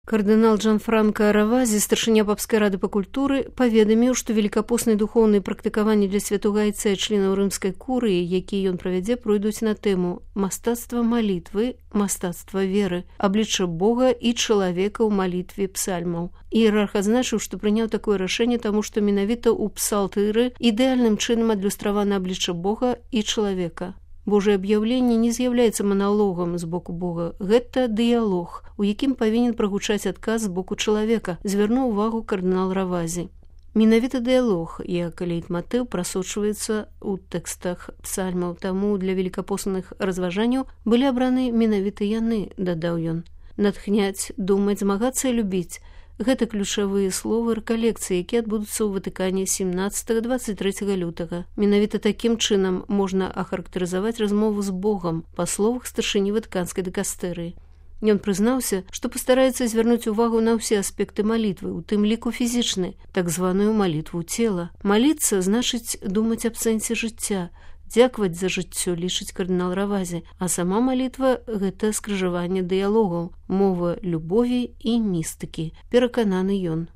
Кардынал Джанфранка Равазі, старшыня папскай рады па культуры, паведаміў, што велікапосныя духоўныя практыкаванні для святога айца і членаў рымскай курыі, якія ён правядзе, пройдуць на тэму мастацтва малітвы, мастацтва веры, аблічча Бога і чалавека ў малітве псальмаў. Іерарх адзначыў, што прыняў такое рашэнне, таму што менавіта ў псалтыры ідэальным чынам адлюстравана аблічча Бога і чалавека. Божае аб'яўленне не з'яўляецца маналогам з боку Бога. Гэта дыялог, у якім павінен прагучаць адказ з боку чалавека, звярнуў увагу кардынал Равазі. Менавіта дыялог, як лейтматыў, прасочваецца ў тэкстах псальмаў, таму для велікапосных разважанняў былі абраны менавіта яны, дадаў ён. Натхняць, думаць, змагацца і любіць. Гэта ключавыя словы рэкалекцыі, якія адбудуцца ў Ватыкане 17-23 лютага. Менавіта такім чынам можна ахарактарызаваць размову з Богам, па словах старшыні ватыканскай дыкастэрыі. Ён прызнаўся, што пастараецца звярнуць увагу на ўсе аспекты малітвы, у тым ліку фізічнай, так званую малітву цела. Маліцца значыць думаць аб сэнсе жыцця, дзякаваць за жыццё, лічыць кардынал Равазі, а сама малітва – гэта скрыжаванне дыялогаў, мова любові і містыкі, перакананы ён.